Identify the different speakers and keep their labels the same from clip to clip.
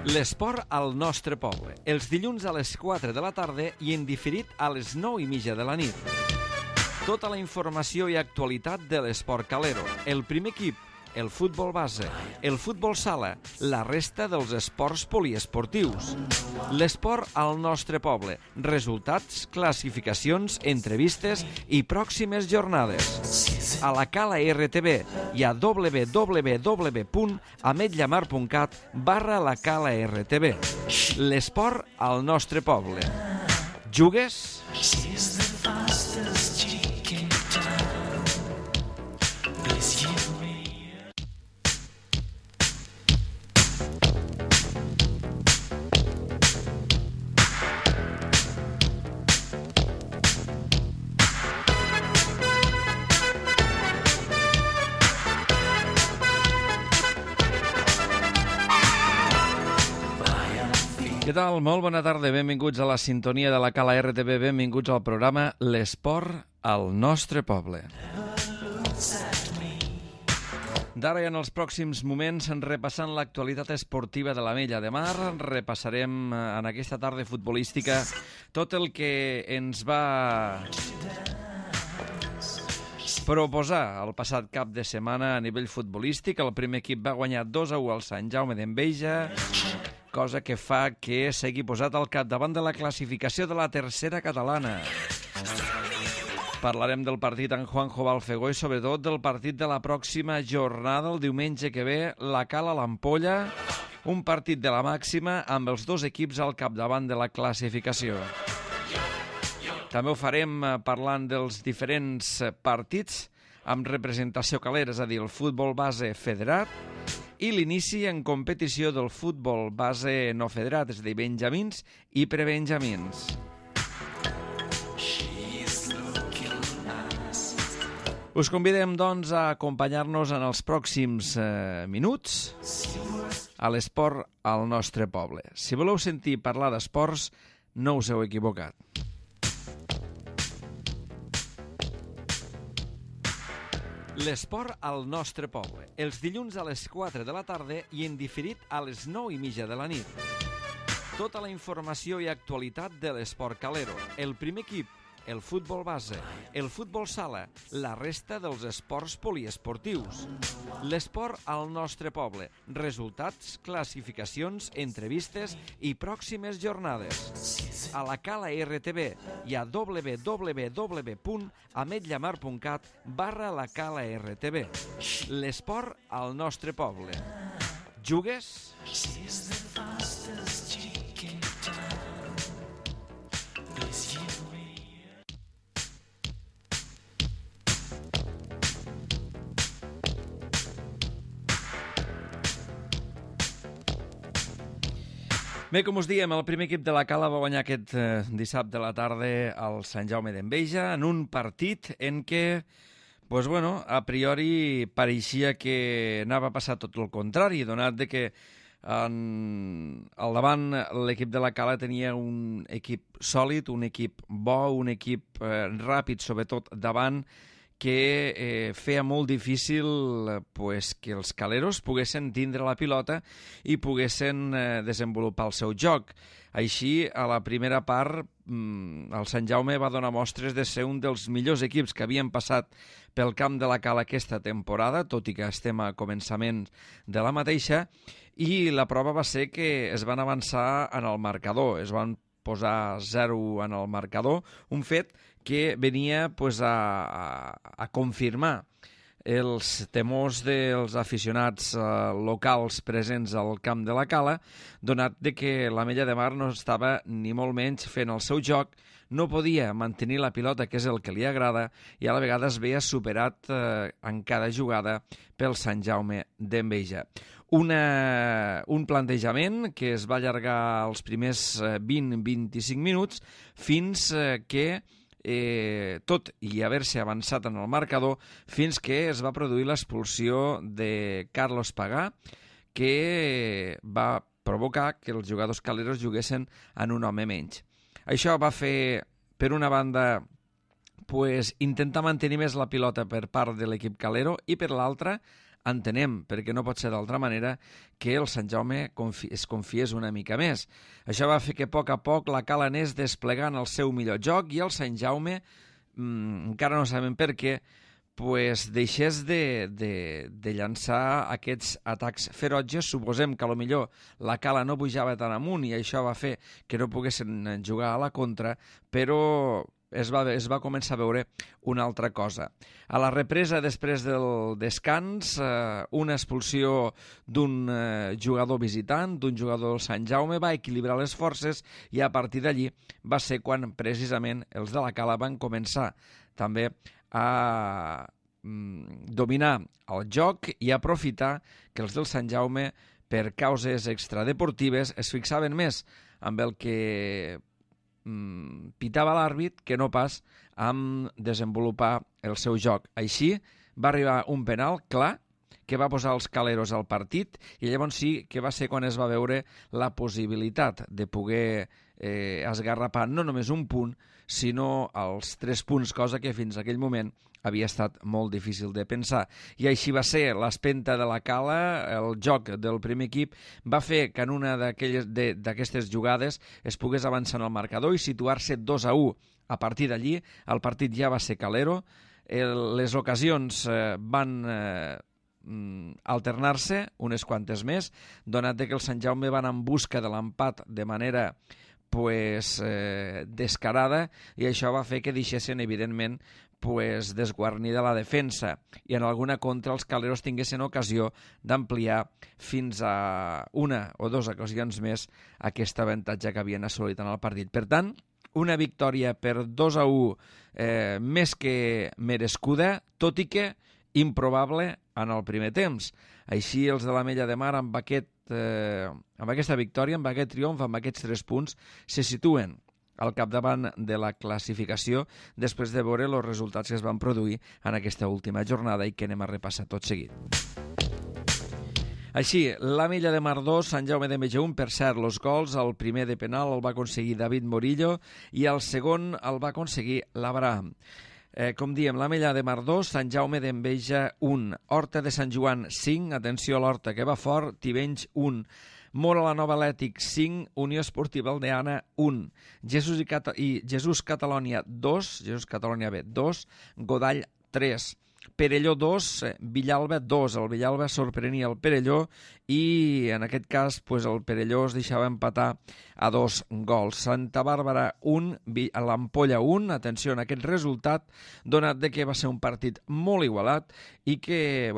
Speaker 1: L'esport al nostre poble. Els dilluns a les 4 de la tarda i en diferit a les 9:30 de la nit. Tota la informació i actualitat de l'esport calero. El primer equip, el futbol base, el futbol sala, la resta dels esports poliesportius. L'esport al nostre poble. Resultats, classificacions, entrevistes i pròximes jornades. A la Cala RTV i a www.ametlllamar.cat/la Cala RTV. L'esport al nostre poble. Jugues? Què tal? Molt bona tarda, benvinguts a la sintonia de la Cala RTV, benvinguts al programa L'esport al nostre poble. D'ara i en els pròxims moments, repassant l'actualitat esportiva de l'Ametlla de Mar, repassarem en aquesta tarda futbolística tot el que ens va proposar el passat cap de setmana a nivell futbolístic. El primer equip va guanyar 2-1 al Sant Jaume d'Enveja, cosa que fa que sigui posat al capdavant de la classificació de la tercera catalana. Parlarem del partit en Juanjo Balfegó i sobretot del partit de la pròxima jornada, el diumenge que ve, la Cala l'Ampolla, un partit de la màxima amb els dos equips al capdavant de la classificació. També ho farem parlant dels diferents partits amb representació calera, és a dir, el futbol base federat, i l'inici en competició del futbol base no federat, és a dir, benjamins i prebenjamins. Us convidem, doncs, a acompanyar-nos en els pròxims minuts a l'esport al nostre poble. Si voleu sentir parlar d'esports, no us heu equivocat. L'esport al nostre poble. Els dilluns a les 4 de la tarda i en diferit a les 9:30 de la nit. Tota la informació i actualitat de l'esport calero. El primer equip, el futbol base, el futbol sala, la resta dels esports poliesportius. L'esport al nostre poble. Resultats, classificacions, entrevistes i pròximes jornades. A la Cala RTV i a www.ametlllamar.cat/la Cala RTV. L'esport al nostre poble. Jugues? Bé, com us diem, el primer equip de la Cala va guanyar aquest dissabte a la tarda al Sant Jaume d'Enveja en un partit en què, pues bueno, a priori pareixia que anava a passar tot el contrari, donat de que al davant l'equip de la Cala tenia un equip sòlid, un equip bo, un equip ràpid, sobretot davant, que feia molt difícil que els caleros poguessin tindre la pilota i poguessin desenvolupar el seu joc. Així, a la primera part, el Sant Jaume va donar mostres de ser un dels millors equips que havien passat pel camp de la Cala aquesta temporada, tot i que estem a començament de la mateixa, i la prova va ser que es van avançar en el marcador, es van posar 0 en el marcador, un fet que venia a confirmar els temors dels aficionats locals presents al camp de la Cala, donat de que l'Ametlla de Mar no estava ni molt menys fent el seu joc, no podia mantenir la pilota, que és el que li agrada, i a la vegada es veia superat en cada jugada pel Sant Jaume d'Enveja. Un plantejament que es va allargar els primers 20-25 minuts fins que tot i haver-se avançat en el marcador, fins que es va produir l'expulsió de Carlos Pagà, que va provocar que els jugadors caleros juguessin en un home menys. Això va fer, per una banda, intentar mantenir més la pilota per part de l'equip calero i per l'altra entenem, perquè no pot ser d'altra manera, que el Sant Jaume es confiés una mica més. Això va fer que a poc la Cala anés desplegant el seu millor joc i el Sant Jaume, encara no sabem per què, pues deixés de llançar aquests atacs ferotges. Suposem que potser la Cala no pujava tan amunt i això va fer que no poguessin jugar a la contra, però es va començar a veure una altra cosa. A la represa, després del descans, una expulsió d'un jugador visitant, d'un jugador del Sant Jaume, va equilibrar les forces i a partir d'allí va ser quan precisament els de la Cala van començar també a dominar el joc i aprofitar que els del Sant Jaume, per causes extradeportives, es fixaven més amb el que pitava l'àrbit que no pas amb desenvolupar el seu joc. Així va arribar un penal clar que va posar els caleros al partit i llavors sí que va ser quan es va veure la possibilitat de poder esgarrapar no només un punt, sinó els 3 punts, cosa que fins a aquell moment havia estat molt difícil de pensar. I així va ser, l'espenta de la Cala, el joc del primer equip, va fer que en una d'aquestes jugades es pogués avançar en el marcador i situar-se 2-1. A partir d'allí, el partit ja va ser calero, les ocasions van alternar-se, unes quantes més, donat que el Sant Jaume van en busca de l'empat de manera descarada, i això va fer que deixessin, evidentment, desguarnida la defensa, i en alguna contra els caleros tinguessin ocasió d'ampliar fins a 1 o 2 ocasions més aquest avantatge que havien assolit en el partit. Per tant, una victòria per 2-1 més que merescuda, tot i que improbable en el primer temps. Així els de l'Ametlla de Mar amb aquesta victòria, amb aquest triomf, amb aquests 3 punts, se situen al capdavant de la classificació després de veure els resultats que es van produir en aquesta última jornada i que anem a repassar tot seguit. Així, l'Ametlla de Mar 2, Sant Jaume d'Enveja 1, per cert, els gols, el primer de penal el va aconseguir David Morillo i el segon el va aconseguir l'Abraham. Com diem, l'Ametlla de Mar 2, Sant Jaume d'Enveja 1, Horta de Sant Joan 5, atenció a l'Horta que va fort, Tivenys 1, Móra la Nova Atlètic 5, Unió Esportiva Aldeana 1, Jesús Catalònia 2, Jesús Catalònia B 2, Godall 3, Perelló 2, Villalba 2. El Villalba sorprenia el Perelló i en aquest cas el Perelló es deixava empatar a 2 gols. Santa Bàrbara 1, l'Ampolla 1. Atenció en aquest resultat, donat que va ser un partit molt igualat i que,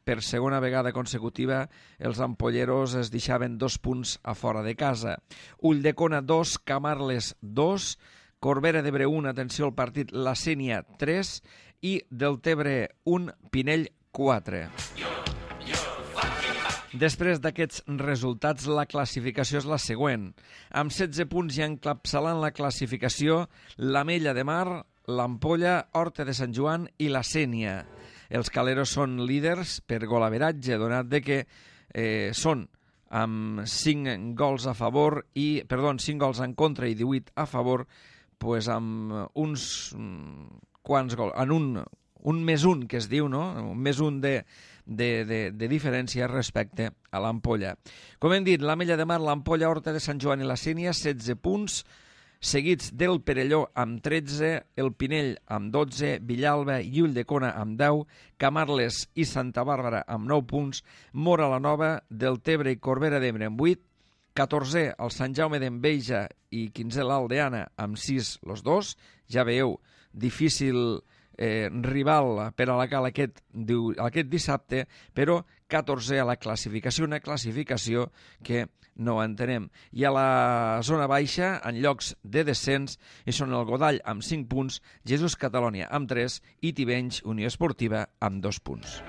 Speaker 1: per segona vegada consecutiva, els ampolleros es deixaven 2 punts a fora de casa. Ulldecona 2, Camarles 2, Corbera d'Ebre 1, atenció al partit, la Sénia 3 i Deltebre 1, Pinell 4. Després d'aquests resultats, la classificació és la següent. Amb 16 punts i encapçalant la classificació, l'Ametlla de Mar, l'Ampolla, Horta de Sant Joan i la Sénia. Els caleros són líders per golaveratge, donat que són amb 5 gols a favor 5 gols en contra i 18 a favor, amb uns quants gols, en un més un que es diu, no? Un més un de diferència respecte a l'Ampolla. Com hem dit, l'Ametlla de Mar, l'Ampolla, Horta de Sant Joan i la Sénia, 16 punts, seguits del Perelló amb 13, el Pinell amb 12, Villalba i Ulldecona amb 10, Camarles i Santa Bàrbara amb 9 punts, Móra la Nova, Deltebre i Corbera d'Ebre amb 8, 14 el Sant Jaume d'Enveja i 15 l'Aldeana amb 6 los dos. Ja veieu, difícil rival per a la Cala aquest dissabte, però 14 a la classificació, una classificació que no entenem. I a la zona baixa, en llocs de descens, hi són el Godall amb 5 punts, Jesús Catalònia amb 3 i Tivenys Unió Esportiva amb 2 punts.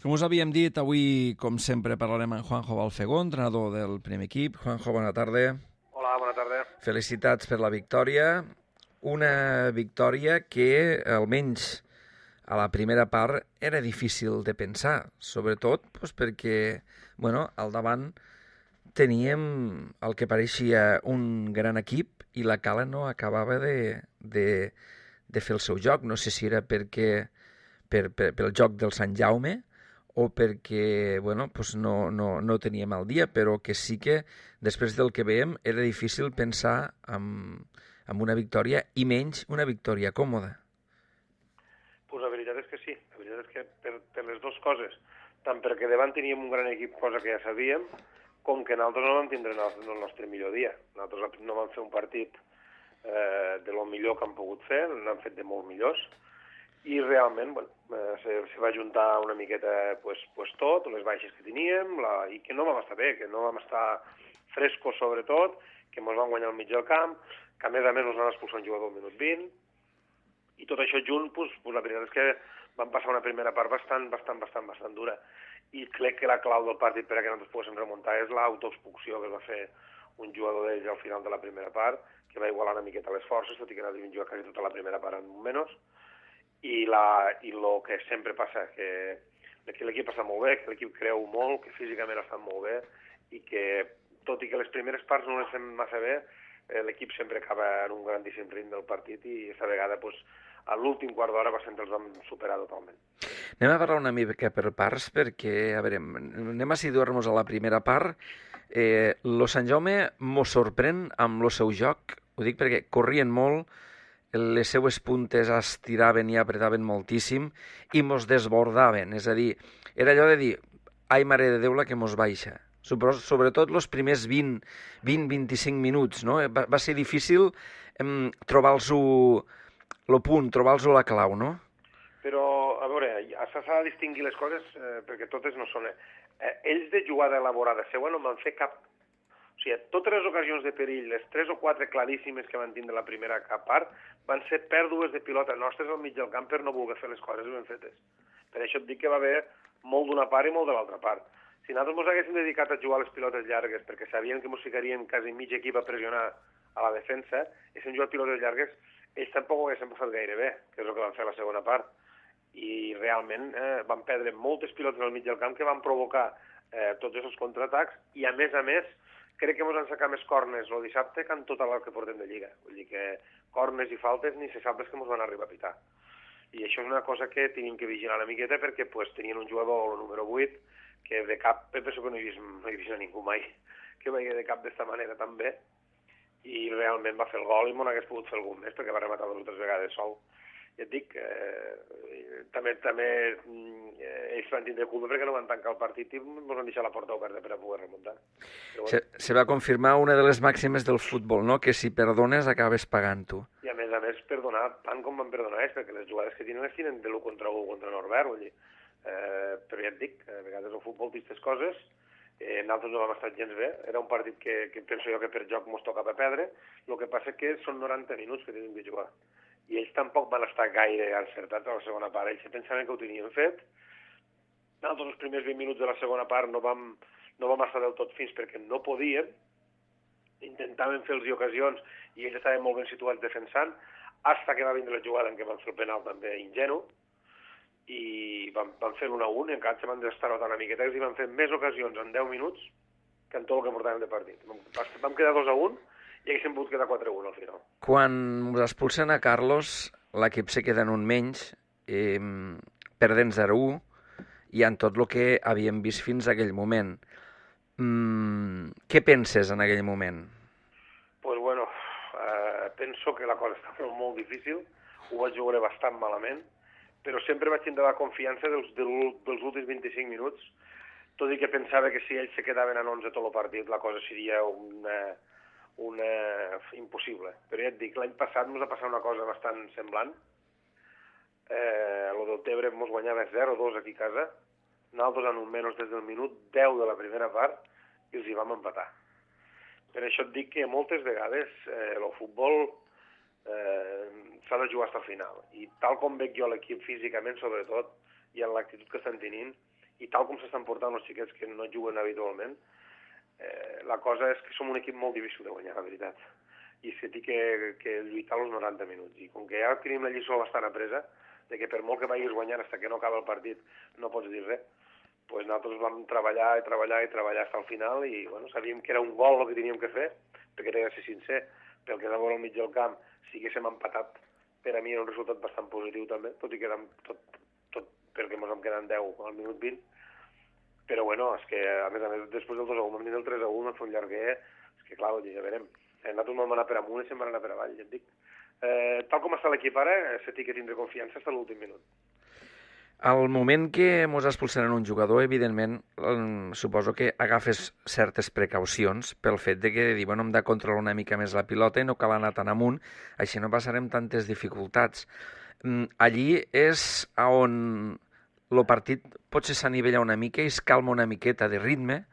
Speaker 1: Com us havíem dit, avui, com sempre, parlarem amb Juanjo Balfegó, entrenador del primer equip. Juanjo, bona tarda.
Speaker 2: Hola, bona tarda.
Speaker 1: Felicitats per la victòria. Una victòria que, almenys a la primera part, era difícil de pensar, sobretot perquè, al davant teníem el que pareixia un gran equip i la Cala no acabava de fer el seu joc. No sé si era pel joc del Sant Jaume o perquè no teníem el dia, però que sí que després del que veiem era difícil pensar en una victòria i menys una victòria còmoda.
Speaker 2: Pues la veritat és que sí, la veritat és que per les dues coses, tant perquè davant teníem un gran equip, cosa que ja sabíem, com que nosaltres no vam tindre el nostre millor dia. Nosaltres no vam fer un partit de lo millor que han pogut fer, n'han fet de molt millors, i realment se va juntar una miqueta tot, les baixes que teníem, i que no vam estar bé, que no vam estar frescos sobretot, que ens van guanyar al mig del camp, que a més ens van expulsar un jugador al minut 20, i tot això junt, la veritat és que vam passar una primera part bastant dura. I crec que la clau del partit per a que nosaltres poguéssim remuntar és l'autoexpulsió que es va fer un jugador d'ells al final de la primera part, que va igualar una miqueta les forces, tot i que nosaltres vam jugar quasi tota la primera part en menys. I el que sempre passa, que l'equip està molt bé, que l'equip creu molt, que físicament està molt bé, i que, tot i que les primeres parts no les fem massa bé, l'equip sempre acaba en un grandíssim ritme del partit i aquesta vegada, a l'últim quart d'hora, els vam superar totalment.
Speaker 1: Anem a parlar una mica per parts, perquè, a veure, anem a situar-nos a la primera part. Lo Sant Jaume mos sorprèn amb el seu joc, ho dic perquè corrien molt, les seues puntes estiraven i apretaven moltíssim i mos desbordaven, és a dir, era allò de dir, ai mare de Déu la que mos baixa. Sobretot els primers 20-25 minuts, no? Va ser difícil trobar-los el punt, trobar-los la clau, no?
Speaker 2: Però, a veure, s'ha de distingir les coses perquè totes no són... ells de jugada elaborada seua no van fer cap... O sigui, totes les ocasions de perill, les 3 o 4 claríssimes que van tindre la primera part, van ser pèrdues de pilota nostres al mig del camp per no voler fer les coses ben fetes. Per això et dic que va haver molt d'una part i molt de l'altra part. Si nosaltres ens haguéssim dedicat a jugar les pilotes llargues perquè sabien que ens ficaríem quasi mig equip a pressionar a la defensa, i si hem jugat pilotes llargues, ells tampoc ho haguessin passat gaire bé, que és el que van fer a la segona part. I realment van perdre moltes pilotes al mig del camp que van provocar tots aquests contraatacs, i a més, crec que ens han sacat més cornes el dissabte que en tot el que portem de Lliga. Vull dir que cornes i faltes ni se sap les que ens van arribar a pitar. I això és una cosa que tenim que vigilar una miqueta perquè tenien un jugador, el número 8, que de cap, penso que no he vist a ningú mai que vegi de cap d'esta manera tan bé, i realment va fer el gol i m'ho hagués pogut fer algun més perquè va rematar 2 o 3 vegades sol. Ja et dic, també ells van tindre culpa perquè no van tancar el partit i ens van deixar la porta oberta per a poder remuntar.
Speaker 1: Se va confirmar una de les màximes del futbol, no? Que si perdones acabes pagant-ho.
Speaker 2: I a més, perdonar tant com van perdonar ells, perquè les jugades que tenen les tenen de l'1 contra 1 contra Norbert, vull dir. Però ja et dic, a vegades el futbol té aquestes coses, nosaltres no vam estar gens bé, era un partit que penso jo que per joc mos tocava perdre, el que passa que són 90 minuts que tenim de jugar, i ells tampoc van estar gaire encertats a la segona part, ells pensaven que ho tenien fet, nosaltres els primers 20 minuts de la segona part no vam estar del tot fins perquè no podíem, intentaven fer-los ocasions i ells estaven molt ben situats defensant, fins que va vindre la jugada en què van fer el penal també ingenu, i van fer l'1-1 i encara se van destarrotar una miqueta i van fer més ocasions en 10 minuts que en tot el que portàvem de partit. Vam quedar 2-1 i haguéssim pogut quedar 4-1 al final.
Speaker 1: Quan us expulsen a Carlos, l'equip se queda en un menys, perdent 0-1 i en tot el que havíem vist fins a aquell moment. Què penses en aquell moment?
Speaker 2: Pues bueno, penso que la cosa estava molt difícil, ho vaig veure bastant malament, però sempre vaig tindre la confiança dels últims 25 minuts, tot i que pensava que si ells se quedaven en 11 tot el partit, la cosa seria impossible. Però ja et dic, l'any passat ens va passar una cosa bastant semblant. El del Tebre ens guanyava 0-2 aquí a casa, nosaltres en un menys des del minut 10 de la primera part, i els hi vam empatar. Per això et dic que moltes vegades el futbol s'ha de jugar fins al final. I tal com veig jo l'equip físicament, sobretot, i en l'actitud que estan tenint, i tal com s'estan portant els xiquets que no juguen habitualment, la cosa és que som un equip molt difícil de guanyar, la veritat. I és que té que lluitar els 90 minuts. I com que ja tenim la lliçó bastant apresa, de que per molt que vagis guanyant fins que no acaba el partit no pots dir res, doncs nosaltres vam treballar i treballar i treballar fins al final i bueno, sabíem que era un gol el que teníem que fer, perquè he de ser sincer, pel que és a veure al mig del camp, si haguéssim empatat, per a mi era un resultat bastant positiu també, tot i que érem tot perquè ens en queden 10 al minut 20, però bueno, és que a més després del 2-1 vam tenir el 3-1, vam fer un llarguer, és que clar, ja verem, nosaltres vam anar per amunt i se'n van anar per avall, ja et dic. Tal com està l'equip ara, se té que tindre confiança fins a l'últim minut.
Speaker 1: Al moment que mos expulsaran un jugador, evidentment, suposo que agafes certes precaucions pel fet de que bueno, hem de controlar una mica més la pilota i no cal anar tan amunt, així no passarem tantes dificultats. Allí és on el partit potser s'anivella una mica i es calma una miqueta de ritme,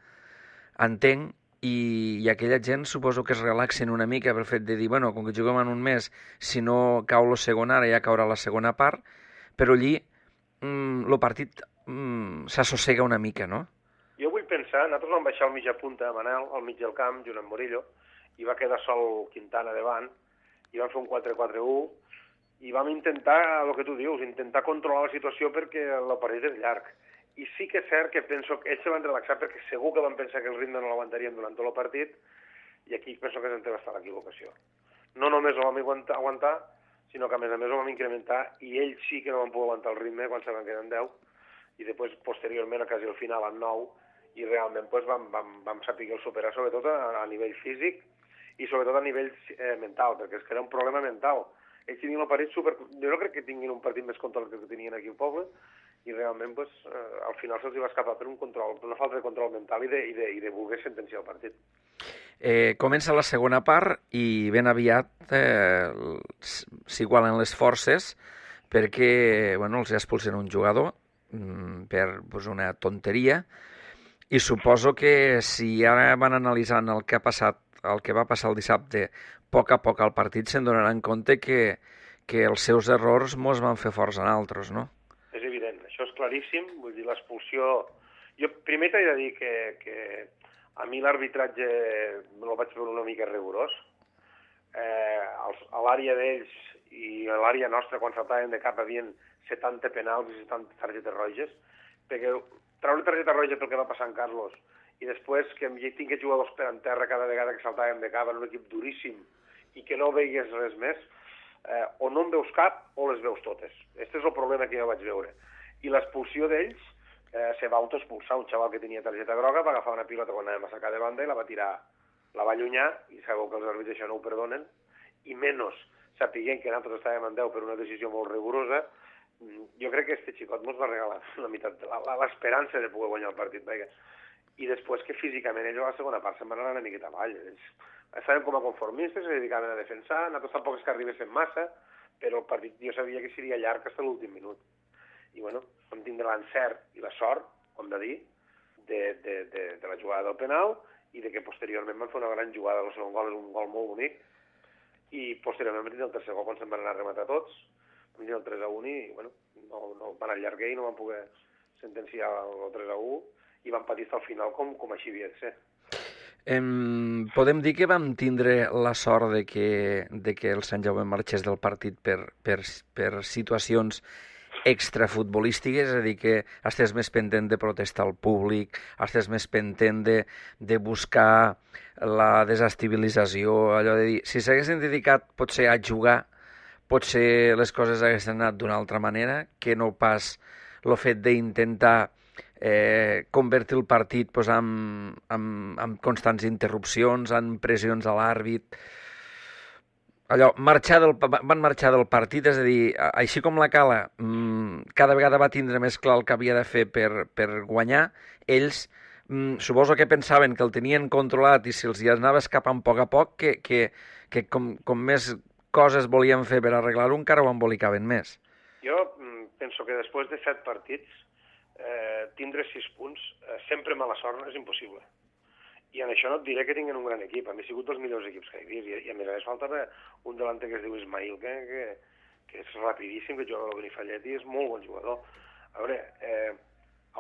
Speaker 1: entenc, i aquella gent suposo que es relaxen una mica pel fet de dir, bueno, com que juguem en un mes, si no cau la segona, ara ja caurà la segona part, però allí el partit s'assossega una mica, no?
Speaker 2: Jo vull pensar, nosaltres vam baixar al mitja punta a Manel, al mig del camp, junt amb Murillo, i va quedar sol Quintana davant, i vam fer un 4-4-1, i vam intentar, el que tu dius, intentar controlar la situació perquè el partit és llarg. I sí que és cert que penso que ells se van relaxar perquè segur que van pensar que el ritme no l'aguantarien durant tot el partit, i aquí penso que és on va estar l'equivocació. No només ho vam aguantar, sinó que a més ho vam incrementar, i ells sí que no van poder aguantar el ritme quan se van quedar en 10, i després, posteriorment, quasi al final, en 9, i realment pues, vam saber superar, sobretot a nivell físic i sobretot a nivell mental, perquè és que era un problema mental. Ells tenien el partit super... Jo no crec que tinguin un partit més controlat que tenien aquí al poble, i realment pues, al final se'ls va escapar per una falta de control mental i de voler sentenciar el partit.
Speaker 1: Comença la segona part i ben aviat s'igualen les forces perquè bueno, els expulsen un jugador per pues, una tonteria, i suposo que si ara van analitzant el que ha passat, el que va passar el dissabte, a poc al partit se'n donaran compte que els seus errors mos van fer forts a altres, no?
Speaker 2: És evident, això és claríssim, vull dir, l'expulsió... Jo primer t'he de dir que a mi l'arbitratge el vaig veure una mica rigorós. A l'àrea d'ells i a l'àrea nostra, quan saltaven de cap, havien 70 penals i 70 targetes roges, perquè treure targeta roja pel que va passar en Carlos i després que tinc jugadors per en terra cada vegada que saltàvem de cap en un equip duríssim i que no veigues res més, o no en veus cap o les veus totes. Aquest és el problema que jo vaig veure. I l'expulsió d'ells se va autoexpulsar. Un xaval que tenia targeta groga va agafar una pilota quan anàvem a sacar de banda i la va tirar, la va allunyar, i sabeu que els àrbitres això no ho perdonen, i menys sapiguent que nosaltres estàvem en 10 per una decisió molt rigorosa. Jo crec que este xicot ens va regalar la meitat de l'esperança de poder guanyar el partit. Perquè... I després que físicament ells a la segona part se'n van anar una miqueta avall. Estaven com a conformistes, se dedicaven a defensar, nosaltres tampoc és que arribéssim massa, però el partit jo sabia que seria llarg fins a l'últim minut. I bueno, vam tindre l'encert i la sort, com de dir, de la jugada del penal i de que posteriorment van fer una gran jugada. El segon gol és un gol molt bonic, i posteriorment vam tenir el tercer gol quan se'n van anar a rematar tots, vam tenir el 3-1 i bueno, no van allargar i no van poder sentenciar el 3-1 i van patir fins al final com així havia de ser.
Speaker 1: Podem dir que vam tindre la sort de que el Sant Jaume marxés del partit per situacions extrafutbolístiques, és a dir, que estàs més pendent de protestar al públic, estàs més pendent de buscar la desestabilització, allò de dir, si s'haguessin dedicat potser a jugar, potser les coses haguessin anat d'una altra manera, que no pas el fet d'intentar convertir el partit pues, amb constants interrupcions, amb pressions a l'àrbit. Allò, van marxar del partit, és a dir, així com la Cala cada vegada va tindre més clar el que havia de fer per guanyar, ells suposo que pensaven que el tenien controlat i si els hi anava escapant a poc, que com més coses volien fer per arreglar-ho, encara ho embolicaven més.
Speaker 2: Jo penso que després de 7 partits tindre 6 punts, sempre mala sort és impossible. I en això no et diré que tinguin un gran equip. A mi ha sigut dels millors equips que he vist. I a més a més faltava un delanter que es diu Ismail, que és rapidíssim, que juga a la Benifallet i és molt bon jugador. A veure,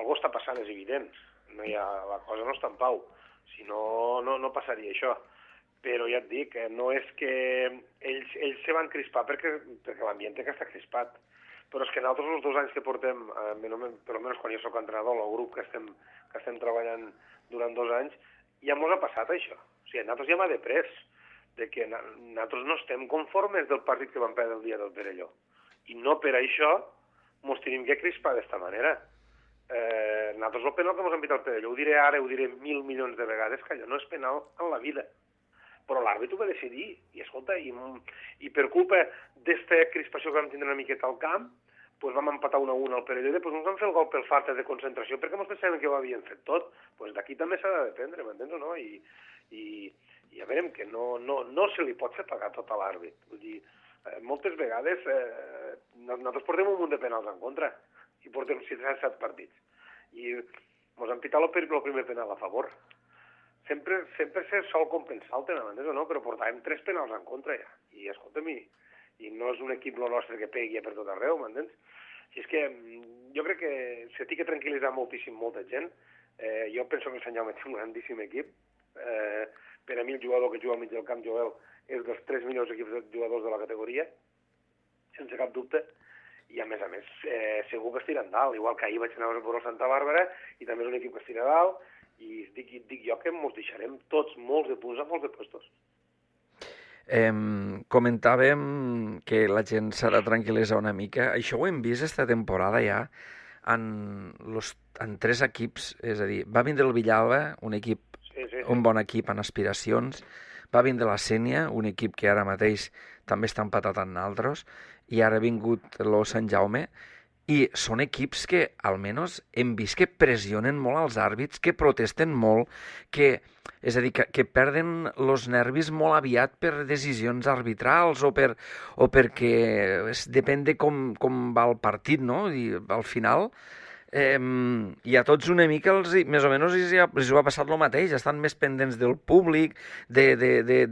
Speaker 2: Algú està passant, és evident. La cosa no està en pau. Si no, no passaria això. Però ja et dic, no és que ells se van crispar perquè l'ambient que està crispat. Però és que nosaltres els 2 anys que portem, per almenys quan jo soc entrenador, el grup que estem treballant durant 2 anys, ja mos ha passat això. O sigui, nosaltres ja m'ha deprès de que nosaltres no estem conformes del partit que vam perdre el dia del Perelló. I no per això mos tenim que crispar d'esta manera. Nosaltres el penal que mos han pitat el Perelló, ho diré ara, ho diré 1.000 milions de vegades, que allò no és penal en la vida. Però l'àrbit ho va decidir, i escolta, i per culpa d'esta crispació que vam tindre una miqueta al camp, doncs vam empatar 1-1 al Perelló i després ens vam fer el gol per falta de concentració perquè ens pensàvem que ho havien fet tot. Doncs d'aquí també s'ha de dependre, m'entens o no? I ja veurem que no se li pot fer pagar tot a l'àrbit. Vull dir, moltes vegades nosaltres portem un munt de penals en contra i portem 7 partits. I ens han pitat el primer penal a favor. Sempre se sol compensar el tema, m'entens o no? Però portàvem 3 penals en contra ja. I escolta'm, i no és un equip el nostre que pegui per tot arreu, m'entens? I és que jo crec que se té que tranquil·litzar moltíssim molta gent. Jo penso que el Sant Jaume té un grandíssim equip. Per a mi el jugador que juga al mig del camp, Joel, és dels 3 millors equips de jugadors de la categoria, sense cap dubte. I a més, segur que estirà en dalt. Igual que ahir vaig anar a veure Santa Bàrbara i també és un equip que estirà a dalt. I dic jo que ens deixarem tots molts de punts a molts de puestos.
Speaker 1: Comentàvem que la gent s'ha de tranquil·litzar una mica. Això ho hem vist esta temporada ja en 3 equips. És a dir, va vindre el Villalba, un bon equip en aspiracions, va vindre la Sénia, un equip que ara mateix també està empatat amb altres, i ara ha vingut el Sant Jaume. I són equips que, almenys, hem vist que pressionen molt als àrbits, que protesten molt, és a dir, que perden els nervis molt aviat per decisions arbitrals o perquè depèn de com va el partit, no? I al final, i a tots una mica, més o menys, els ho ha passat el mateix. Estan més pendents del públic, de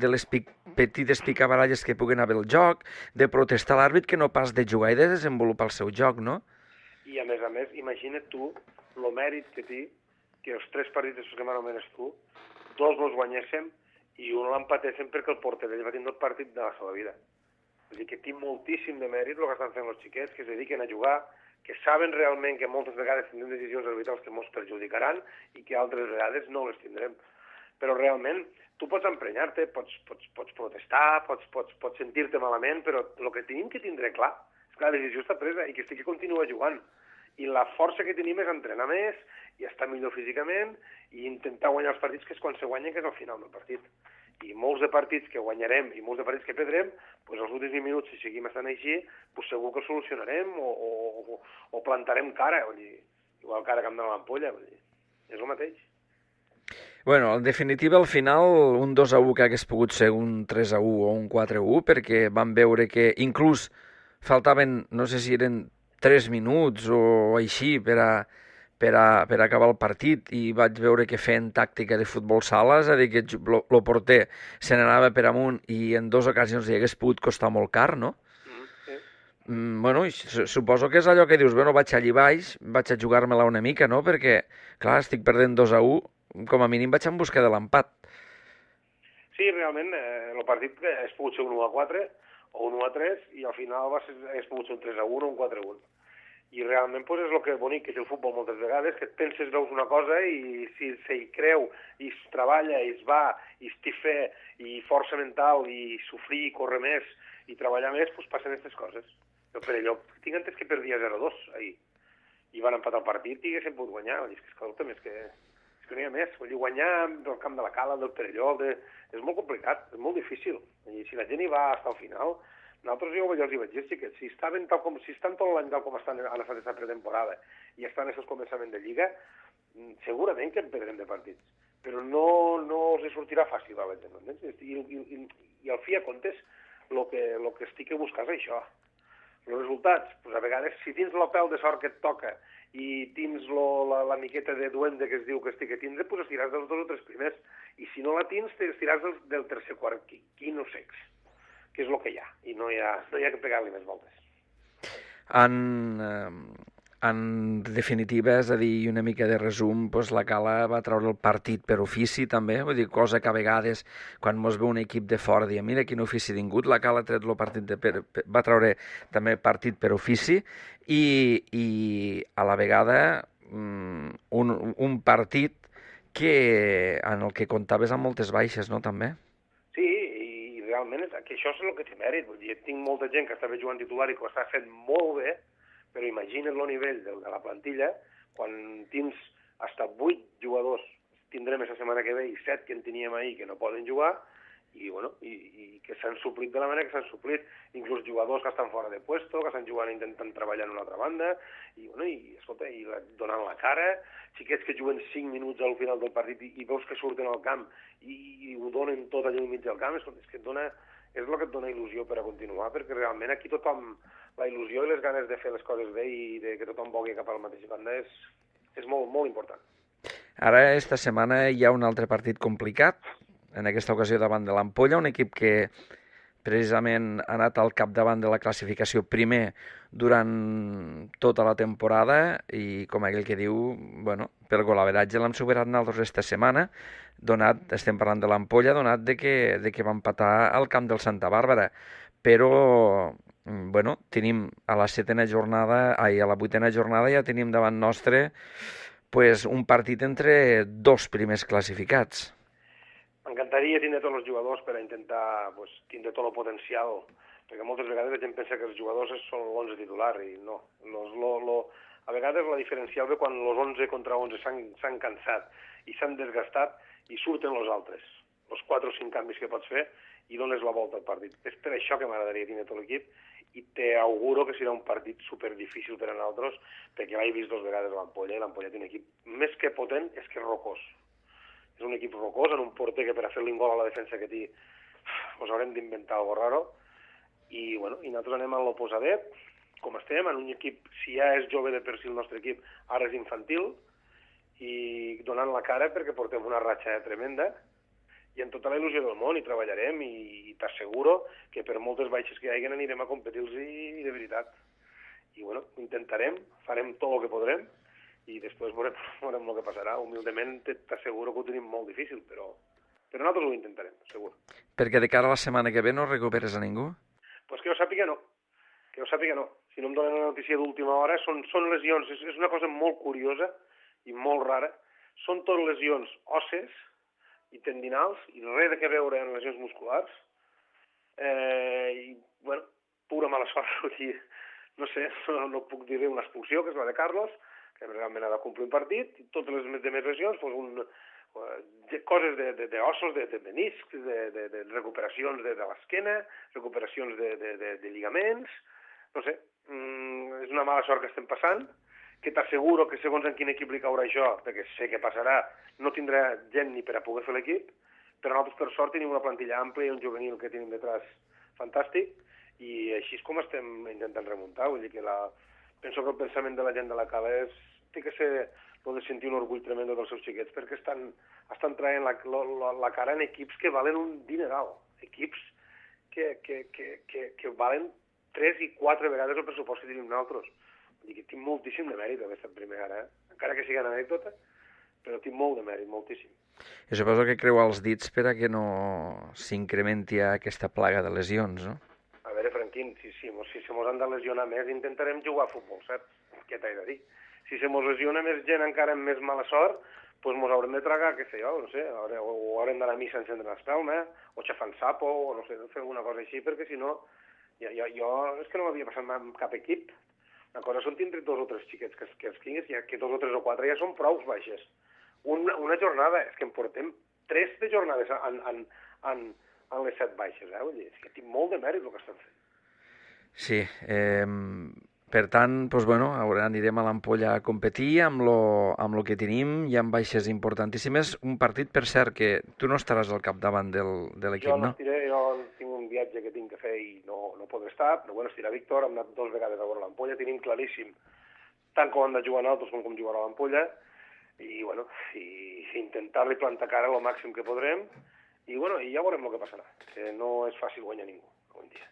Speaker 1: les petites picabaralles que puguen haver al joc, de protestar l'àrbit, que no pas de jugar i de desenvolupar el seu joc, no?
Speaker 2: I a més, imagina't tu el mèrit que té que els 3 partits que m'anomenes tu, 2 els guanyéssim i un l'empatéssim perquè el porter d'ell va tindre el partit de la seva vida. Vull dir que té moltíssim de mèrit el que estan fent els xiquets, que es dediquen a jugar, que saben realment que moltes vegades tindrem decisions arbitrals que ens perjudicaran i que altres vegades no les tindrem. Però realment tu pots emprenyar-te, pots protestar, pots sentir-te malament, però el que tenim que tindre clar és que la decisió està presa i que estic que continua jugant. I la força que tenim és entrenar més i estar millor físicament i intentar guanyar els partits, que és quan se guanyen, que és al final del partit. I molts de partits que guanyarem i molts de partits que perdrem, doncs els últims 20 minuts, si seguim estant així, doncs segur que solucionarem o plantarem cara, vull dir, igual cara que amb de l'ampolla, vull dir, és el mateix.
Speaker 1: Bueno, en definitiva, al final, un 2-1 que hagués pogut ser un 3-1 o un 4-1, perquè vam veure que inclús faltaven, no sé si eren 3 minuts o així per acabar el partit, i vaig veure que feien tàctica de futbol sala, és a dir, que el porter se n'anava per amunt i en 2 ocasions li hagués pogut costar molt car, no?
Speaker 2: Sí.
Speaker 1: Bueno, suposo que és allò que dius, bueno, vaig allí baix, vaig a jugar-me-la una mica, no? Perquè, clar, estic perdent 2-1, com a mínim vaig en busca de l'empat.
Speaker 2: Sí, realment, el partit és pogut ser un 1-4 o un 1-3 i al final és pogut ser un 3-1 o un 4-1. I realment és el que és bonic, que és el futbol moltes vegades, que et penses, veus una cosa i si s'hi creu, i es treballa, i es va, i es té fe, i força mental, i sofrir, i córrer més, i treballar més, doncs passen aquestes coses. Però per allò, tinc entès que perdia 0-2 ahir, i van empatar el partit i haguessin pogut guanyar. És que, escolta'm, és que no hi ha més. Vull dir, guanyar del camp de la Cala, del Perelló, és molt complicat, és molt difícil. I si la gent hi va fins al final... Nosaltres jo els hi vaig dir que si estan tot l'any tal com han estat aquesta pretemporada i estan en aquest començament de Lliga, segurament que en perdrem de partits. Però no els sortirà fàcil a la gent, entens? I al fi a comptes, el que estic a buscar és això. Els resultats, doncs a vegades, si tens la pèl de sort que et toca i tens la miqueta de duende que es diu que estic a tindre, doncs estiràs dels 2 o 3 primers. I si no la tens, estiràs del tercer quart, quin o sex, que és el que hi ha, i no hi ha que pegar-li més voltes.
Speaker 1: En definitiva, és a dir, una mica de resum, doncs la Cala va treure el partit per ofici també, vull dir, cosa que a vegades quan mos ve un equip de fora diem, mira quin ofici ha tingut, la Cala ha tret el partit va treure també partit per ofici i a la vegada un partit en el que comptaves amb moltes baixes, no, també?
Speaker 2: Sí, i realment que això és el que té mèrit. Vull dir, tinc molta gent que estava jugant titular i que ho està fent molt bé, però imagina't el nivell de la plantilla quan tens hasta 8 jugadors, tindrem aquesta setmana que ve, i 7 que en teníem ahir que no poden jugar, i, bueno, i que s'han suplit de la manera que s'han suplit, inclús jugadors que estan fora de puesto, que estan jugant intentant treballar en una altra banda, i, bueno, escolta, donant la cara, xiquets que juguen 5 minuts al final del partit i veus que surten al camp i ho donen tot allà al mig del camp, és que és el que et dona il·lusió per a continuar, perquè realment aquí tothom, la il·lusió i les ganes de fer les coses bé i de que tothom vogui cap a la mateixa banda és molt, molt important.
Speaker 1: Ara, esta setmana, hi ha un altre partit complicat, en aquesta ocasió davant de l'Ampolla, un equip que precisament ha anat al capdavant de la classificació primer durant tota la temporada i, com aquell que diu, bueno, per golaveratge l'hem superat nosaltres esta setmana, estem parlant de l'Ampolla, donat de que va empatar al camp del Santa Bàrbara. Però, bueno, tenim a la 7ª jornada, a la 8ª jornada ja tenim davant nostre pues, un partit entre dos primers classificats.
Speaker 2: M'encantaria tindre tots els jugadors per a intentar tindre tot el potencial, perquè moltes vegades la gent pensa que els jugadors són l'11 titular, i no. A vegades la diferencial ve quan els 11 contra 11 s'han cansat i s'han desgastat i surten els altres, els 4 o 5 canvis que pots fer i dones la volta al partit. És per això que m'agradaria tindre tot l'equip i t'auguro que serà un partit superdifícil per a nosaltres, perquè l'he vist 2 vegades a l'Ampolla i l'Ampolla té un equip més que potent, és que és rocós. És un equip rocós, en un porter que per a fer-li un gol a la defensa que té haurem d'inventar alguna raro, i nosaltres anem a l'oposadet, com estem, en un equip, si ja és jove de per si el nostre equip, ara és infantil, i donant la cara perquè portem una ratxa tremenda, i amb tota la il·lusió del món hi treballarem, i t'asseguro que per moltes baixes que hi hagi anirem a competir-los i de veritat. I intentarem, farem tot el que podrem, i després veurem el que passarà. Humilment t'asseguro que ho tenim molt difícil, però nosaltres ho intentarem, segur.
Speaker 1: Perquè de cara a la setmana que ve no recuperes a ningú?
Speaker 2: Pues que jo sàpiga no. Si no em donen una notícia d'última hora, són lesions, és una cosa molt curiosa i molt rara. Són tot lesions òsses i tendinals, i res de veure en lesions musculars. Pura mala sort. No sé, no puc dir una expulsió, que és la de Carlos, que realment ha de complir un partit, i totes les demés lesions, coses d'ossos, de meniscs, de recuperacions de l'esquena, recuperacions de lligaments, no sé, és una mala sort que estem passant, que t'asseguro que segons en quin equip li caurà això, perquè sé que passarà, no tindrà gent ni per a poder fer l'equip, però nosaltres per sort tenim una plantilla àmplia i un juvenil que tenim detrás fantàstic, i així és com estem intentant remuntar. Vull dir que penso que el pensament de la gent de la Cala té que ser el de sentir un orgull tremendo dels seus xiquets, perquè estan traient la cara en equips que valen un dineral, equips que valen 3 i 4 vegades el pressupost que tenim nosaltres. Vull dir que tinc moltíssim de mèrit haver estat primer ara, encara que sigui una anècdota, però tinc molt de mèrit, moltíssim.
Speaker 1: I suposo que creu els dits per a que no s'incrementi aquesta plaga de lesions, no?
Speaker 2: A veure, Franquín, si se mos han de lesionar més, intentarem jugar a futbol, saps? Què t'he de dir? Si se mos lesiona més gent encara amb més mala sort, doncs mos haurem de tragar, què sé jo, no sé, o haurem d'anar a missa encendre l'espelma, o xafant sapo, o no sé, fer alguna cosa així, perquè si no, jo és que no m'havia passat mai amb cap equip. Una cosa són tindre 2 o 3 xiquets que els tinguis, que 2 o 3 o 4 ja són prou baixes. Una jornada, és que en portem 3 de jornades en les 7 baixes, vull dir, és que tinc molt de mèrit el que estan fent.
Speaker 1: Sí, per tant, doncs, anirem a l'Ampolla a competir amb lo que tenim, hi ha baixes importantíssimes. Un partit, per cert, que tu no estaràs al capdavant de l'equip, no?
Speaker 2: Jo tinc un viatge que tinc que fer i no podré estar, però estirà Víctor, hem anat 2 vegades a veure l'Ampolla, tenim claríssim tant com han de jugar nosaltres com jugarà l'Ampolla, i intentar-li plantar cara el màxim que podrem, i ja veurem el que passarà, que no és fàcil guanyar ningú avui en dia.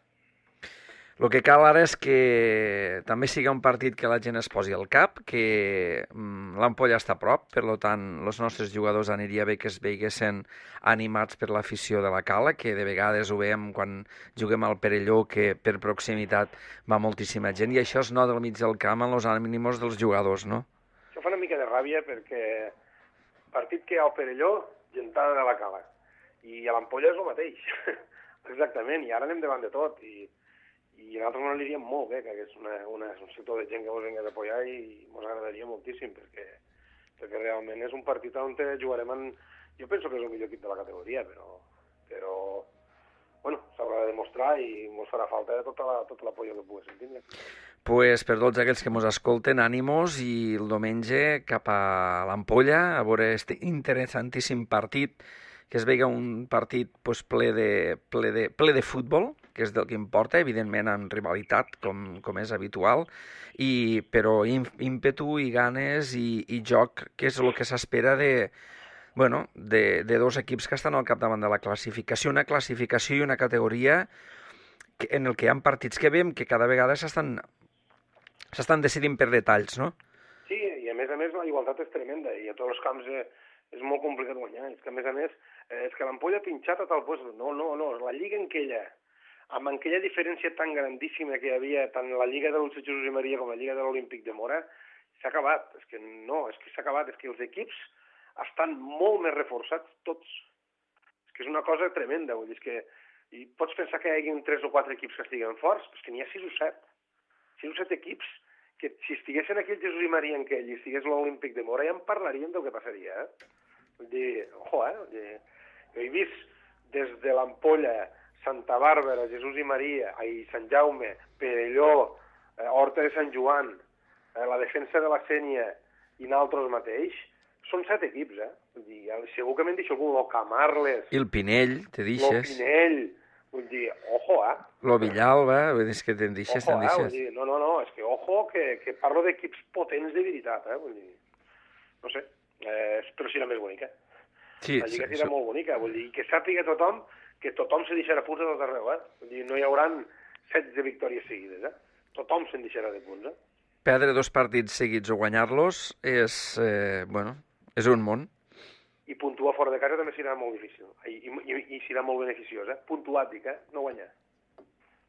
Speaker 1: El que cal ara és que també sigui un partit que la gent es posi al cap, que l'Ampolla està a prop, per tant, els nostres jugadors aniria bé que es veiguessin animats per l'afició de la Cala, que de vegades ho veiem quan juguem al Perelló, que per proximitat va moltíssima gent, i això es nota al mig del camp en els ànims dels jugadors, no?
Speaker 2: Això fa una mica de ràbia perquè partit que hi ha al Perelló, gentada de la Cala. I a l'Ampolla és el mateix. Exactament, i ara anem davant de tot. I a nosaltres ens aniria molt bé que hagués un sector de gent que ens vingués a apoyar i ens agradaria moltíssim perquè realment és un partit on jugarem en... Jo penso que és el millor equip de la categoria, però bueno, s'haurà de demostrar i ens farà falta tot l'apoyo que poguéssim tindre.
Speaker 1: Pues per tots aquells que ens escolten, ànimos, i el diumenge cap a l'Ampolla a veure aquest interessantíssim partit, que es veiga un partit pues, ple de futbol, que és del que importa, evidentment en rivalitat, com és habitual, però ímpetu i ganes i joc, que és el que s'espera de dos equips que estan al capdavant de la classificació, una classificació i una categoria en el que hi ha partits que veiem que cada vegada s'estan decidint per detalls, no?
Speaker 2: Sí, i a més la igualtat és tremenda i a tots els camps és molt complicat guanyar. És que a més, és que l'Ampolla ha pinxat a tal puesto. No, la lliga amb aquella diferència tan grandíssima que hi havia tant la lliga del Jesús i Maria com la lliga de l'Olímpic de Mora, s'ha acabat. És que s'ha acabat. És que els equips estan molt més reforçats tots. És que és una cosa tremenda. Vull dir, és que i pots pensar que hi hagi 3 o 4 equips que estiguen forts, però és que n'hi ha 6 o 7. 6 o 7 equips que si estiguessin aquí el Jesús i Maria en aquell i estigués l'Olímpic de Mora ja en parlaríem del que passaria, Vull dir, ojo, jo he vist des de l'Ampolla, Santa Bàrbara, Jesús i Maria, Sant Jaume, Perelló, Horta de Sant Joan, la defensa de la Sénia i nosaltres mateix, són 7 equips, Vull dir, segur que me'n deixo algun, el Camarles...
Speaker 1: I el Pinell, te deixes.
Speaker 2: El Pinell, vull dir, ojo,
Speaker 1: Lo Villalba, vull dir, és que te'n deixes,
Speaker 2: vull dir, no, és que ojo, que parlo d'equips potents de veritat, vull dir, no sé, però serà més bonica.
Speaker 1: Sí,
Speaker 2: la lliga serà molt bonica, vull dir, que sàpiga tothom que tothom se deixarà punts a tot arreu, Vull dir, no hi haurà 16 victòries seguides, Tothom se'n deixarà de punts,
Speaker 1: Perdre 2 partits seguits o guanyar-los és un món.
Speaker 2: I puntuar fora de casa també serà molt difícil, i serà molt beneficiós, Puntuar, dic, no guanyar.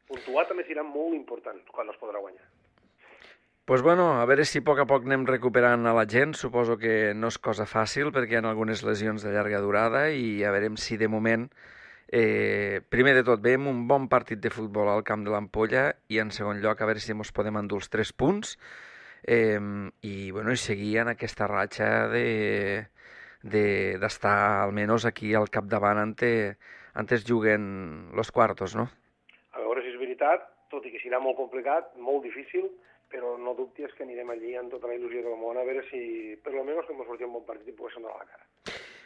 Speaker 2: Puntuar també serà molt important quan no es podrà guanyar.
Speaker 1: Pues a veure si a poc anem recuperant a la gent. Suposo que no és cosa fàcil perquè hi ha algunes lesions de llarga durada i a veure si de moment, primer de tot, veiem un bon partit de futbol al camp de l'Ampolla i en segon lloc a veure si ens podem endur els 3 punts i seguir en aquesta ratxa d'estar almenys aquí al capdavant antes juguen los cuartos, no?
Speaker 2: A veure si és veritat, tot i que serà molt complicat, molt difícil, però no dubtis que anirem allí amb tota la il·lusió del món a veure si, per lo menos, que ens sortim un bon partit i poguéssim donar la cara.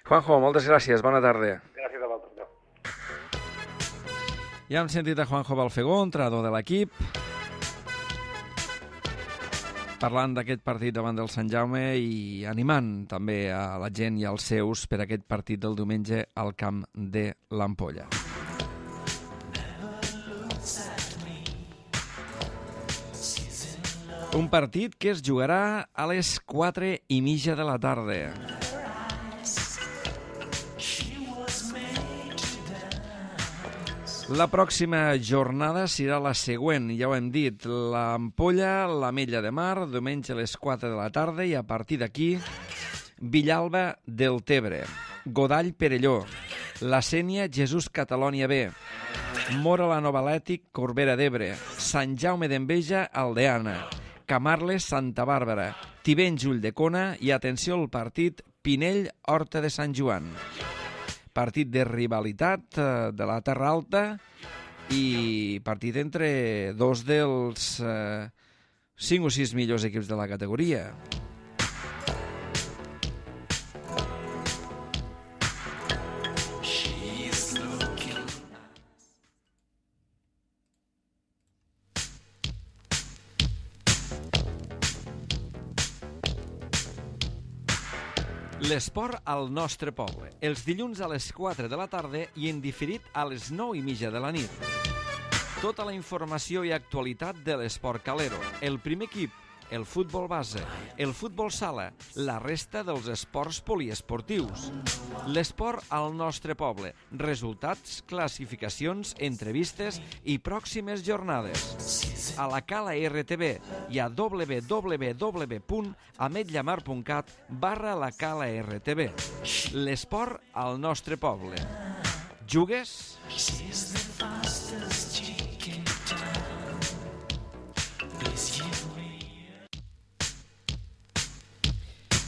Speaker 1: Juanjo, moltes gràcies, bona tarda.
Speaker 2: Gràcies a vosaltres.
Speaker 1: Ja hem sentit a Juanjo Balfegó, entrenador de l'equip, parlant d'aquest partit davant del Sant Jaume i animant també a la gent i als seus per aquest partit del diumenge al camp de l'Ampolla. Un partit que es jugarà a les 4:30 de la tarda. La pròxima jornada serà la següent, ja ho hem dit, l'Ampolla, l'Ametlla de Mar, diumenge a les 4 de la tarda i a partir d'aquí Villalba del Tebre, Godall Perelló, la Sénia Jesús Catalònia B, Mora la Nova Atlètic Corbera d'Ebre, Sant Jaume d'Enveja Aldeana, Camarles Santa Bàrbara, Tivenys Ulldecona i atenció al partit Pinell Horta de Sant Joan. Partit de rivalitat de la Terra Alta i partit entre dos dels 5 o 6 millors equips de la categoria. L'esport al nostre poble, els dilluns a les 4 de la tarda i en diferit a les 9:30 de la nit. Tota la informació i actualitat de l'esport calero. El primer equip, el futbol base, el futbol sala, la resta dels esports poliesportius. L'esport al nostre poble. Resultats, classificacions, entrevistes i pròximes jornades. A la Cala RTV i a www.ametlllamar.cat/la Cala RTV. L'esport al nostre poble. Jugues?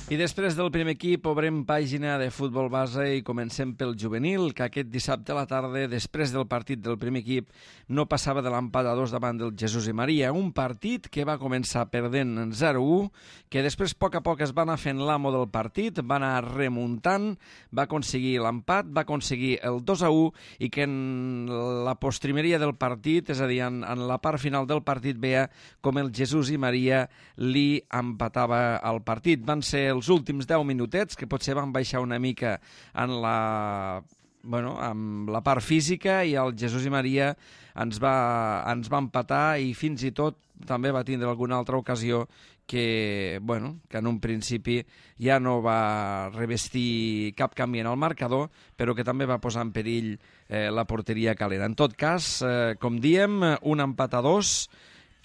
Speaker 1: I després del primer equip obrem pàgina de futbol base i comencem pel juvenil, que aquest dissabte a la tarda, després del partit del primer equip, no passava de l'empat a 2 davant del Jesús i Maria. Un partit que va començar perdent 0-1, que després a poc es va anar fent l'amo del partit, va anar remuntant, va aconseguir l'empat, va aconseguir el 2-1 i que en la postrimeria del partit, és a dir, en la part final del partit, veia com el Jesús i Maria li empatava el partit. Van ser els últims 10 minutets, que potser van baixar una mica en amb la part física, i el Jesús i Maria ens va empatar, i fins i tot també va tindre alguna altra ocasió que en un principi ja no va revestir cap canvi en el marcador, però que també va posar en perill la porteria calera. En tot cas, com diem, un empat a 2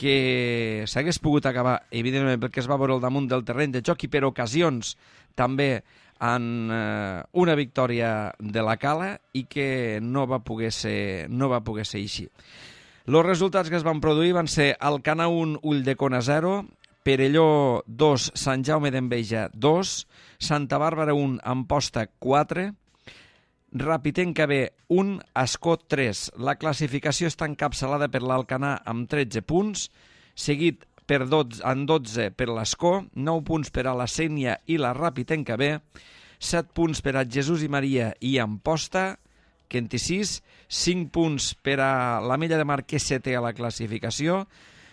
Speaker 1: que s'hagués pogut acabar, evidentment, perquè es va veure al damunt del terreny de joc i per ocasions també en una victòria de la Cala, i que no va poder ser així. Els resultats que es van produir van ser Alcanar 1, Ulldecona 0, Perelló 2, Sant Jaume d'Enveja 2, Santa Bàrbara 1, Amposta 4, Rapitenca B 1, Ascó 3. La classificació està encapçalada per l'Alcanar amb 13 punts, seguit en 12 per l'Ascó, 9 punts per a la Sénia i la Rapitenca B, 7 punts per a Jesús i Maria i Amposta, que en té 6, 5 punts per a l'Ametlla de Mar, que és setè a la classificació,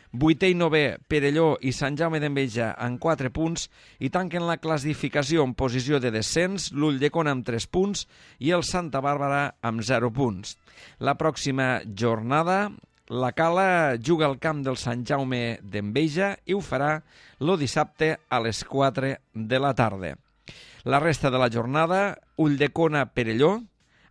Speaker 1: 8è i 9è Perelló i Sant Jaume d'Enveja amb 4 punts, i tanquen la classificació en posició de descens l'Ulldecona amb 3 punts i el Santa Bàrbara amb 0 punts. La pròxima jornada la Cala juga al camp del Sant Jaume d'Enveja i ho farà el dissabte a les 4 de la tarda. La resta de la jornada, Ulldecona Perelló,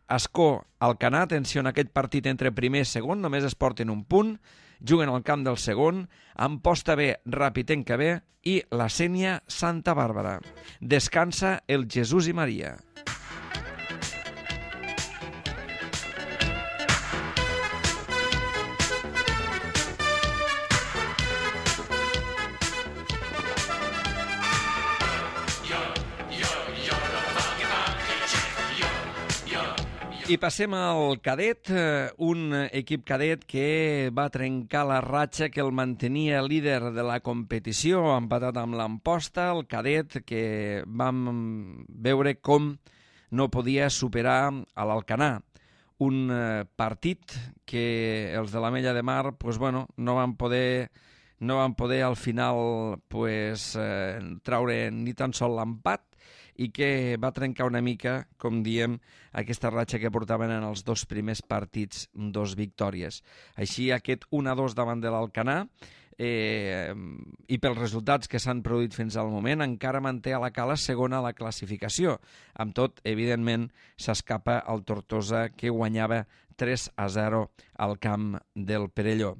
Speaker 1: Ascó Alcanar, atenció en aquest partit entre primer i segon, només es porten un punt, juguen al camp del segon, Amposta B, Rapitenca B i la Sénia Santa Bàrbara. Descansa el Jesús i Maria. I passem al cadet, un equip cadet que va trencar la ratxa que el mantenia líder de la competició, empatat amb l'Amposta, el cadet que vam veure com no podia superar a l'Alcanar. Un partit que els de l'Ametlla de Mar no van poder al final traure ni tan sol l'empat, i que va trencar una mica, com diem, aquesta ratxa que portaven en els 2 primers partits, 2 victòries. Així, aquest 1-2 davant de l'Alcanar, i pels resultats que s'han produït fins al moment, encara manté a la Cala segona a la classificació. Amb tot, evidentment, s'escapa el Tortosa, que guanyava 3-0 al camp del Perelló.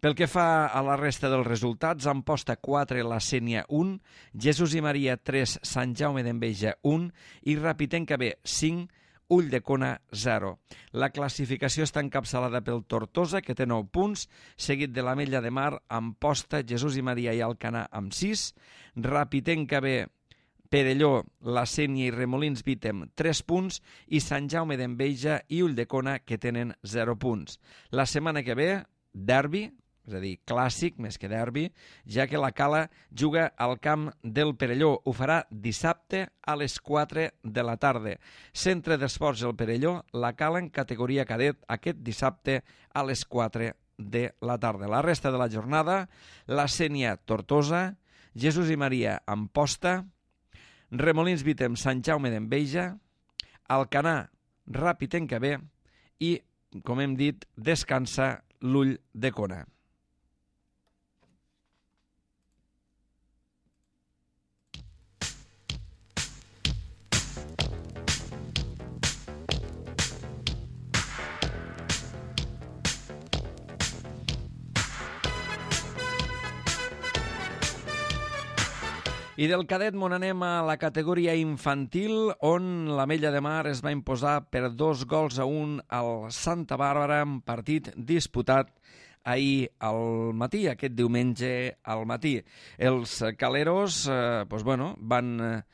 Speaker 1: Pel que fa a la resta dels resultats, Amposta 4, la Sénia 1, Jesús i Maria 3, Sant Jaume d'Enveja 1 i Rapitenca B 5, Ulldecona 0. La classificació està encapçalada pel Tortosa, que té 9 punts, seguit de l'Ametlla de Mar, Amposta, Jesús i Maria i Alcanar amb 6, Rapitenca B, Perelló, la Sénia i Remolins Vítem 3 punts i Sant Jaume d'Enveja i Ulldecona, que tenen 0 punts. La setmana que ve, derbi, és a dir, clàssic més que derbi, ja que la Cala juga al camp del Perelló. Ho farà dissabte a les 4 de la tarda. Centre d'Esports del Perelló, la Cala en categoria cadet aquest dissabte a les 4 de la tarda. La resta de la jornada, la Sénia Tortosa, Jesús i Maria Amposta, Remolins Vítem Sant Jaume d'Enveja, Alcanar Rapitenca B i, com hem dit, descansa l'Ulldecona. I del cadet mon anem a la categoria infantil, on l'Ametlla de Mar es va imposar per 2-1 al Santa Bàrbara, en partit disputat ahir al matí, aquest diumenge al matí. Els caleros van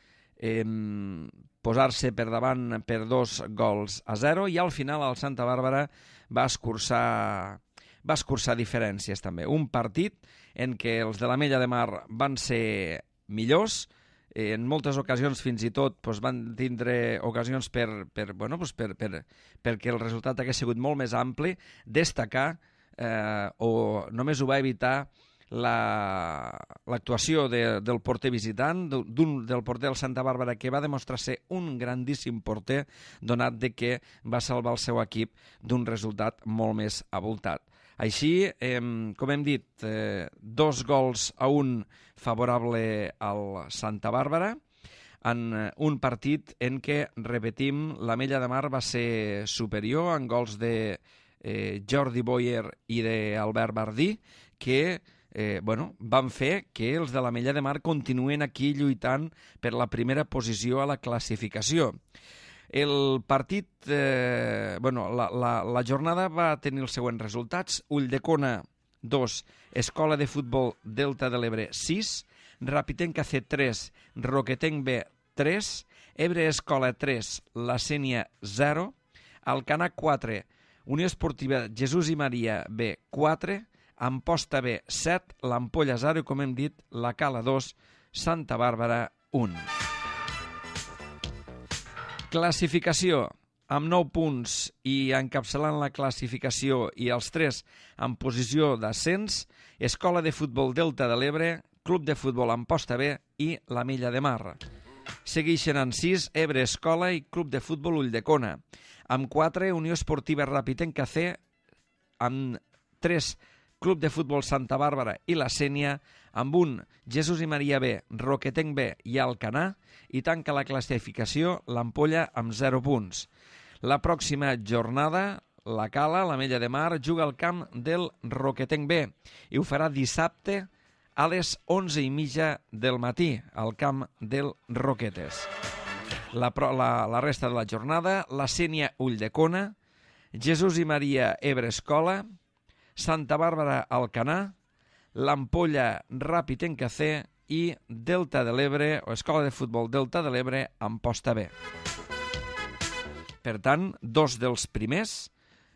Speaker 1: posar-se per davant per 2-0 i al final el Santa Bàrbara va escurçar diferències també. Un partit en què els de l'Ametlla de Mar van ser millors, en moltes ocasions fins i tot van tindre ocasions perquè el resultat hagués sigut molt més ampli, destacar o només ho va evitar l'actuació del porter visitant, del porter del Santa Bàrbara, que va demostrar ser un grandíssim porter, donat de que va salvar el seu equip d'un resultat molt més abultat. Així, com hem dit, 2-1 favorable al Santa Bàrbara, en un partit en què, repetim, l'Ametlla de Mar va ser superior en gols de Jordi Boyer i d'Albert Bardí, que van fer que els de l'Ametlla de Mar continuen aquí lluitant per la primera posició a la classificació. El partit, la jornada va tenir els següents resultats: Ulldecona 2, Escola de Futbol Delta de l'Ebre 6, Rapitenca C 3, Roquetenc B 3, Ebre Escola 3, La Sénia 0, Alcanar 4, Unió Esportiva Jesús i Maria B 4, Amposta B 7, l'Ampolla 0 i, com hem dit, la Cala 2, Santa Bàrbara 1. Classificació. Amb 9 punts i encapçalant la classificació i els 3 en posició d'ascens, Escola de Futbol Delta de l'Ebre, Club de Futbol Amposta B i l'Ametlla de Mar. Segueixen en 6 Ebre Escola i Club de Futbol Ulldecona. Amb 4 Unió Esportiva Rapitenca C, amb 3 Club de Futbol Santa Bàrbara i la Sénia, amb 1 Jesús i Maria B, Roquetenc B i Alcanar, i tanca la classificació l'Ampolla amb 0 punts. La pròxima jornada, la Cala, l'Ametlla de Mar, juga al camp del Roquetenc B i ho farà dissabte a les 11:30 del matí, al camp del Roquetes. La resta de la jornada, la Sénia Ulldecona, Jesús i Maria Ebre Escola, Santa Bàrbara Alcanar, l'Ampolla Rapitenca C i Delta de l'Ebre, o Escola de Futbol Delta de l'Ebre, Amposta B. Per tant, 2 dels primers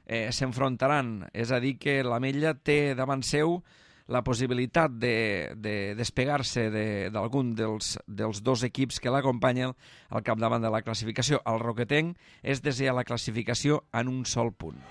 Speaker 1: s'enfrontaran, és a dir, que l'Ametlla té davant seu la possibilitat de despegar-se d'algun dels 2 equips que l'acompanyen al capdavant de la classificació. El Roquetenc és desè a la classificació en un sol punt.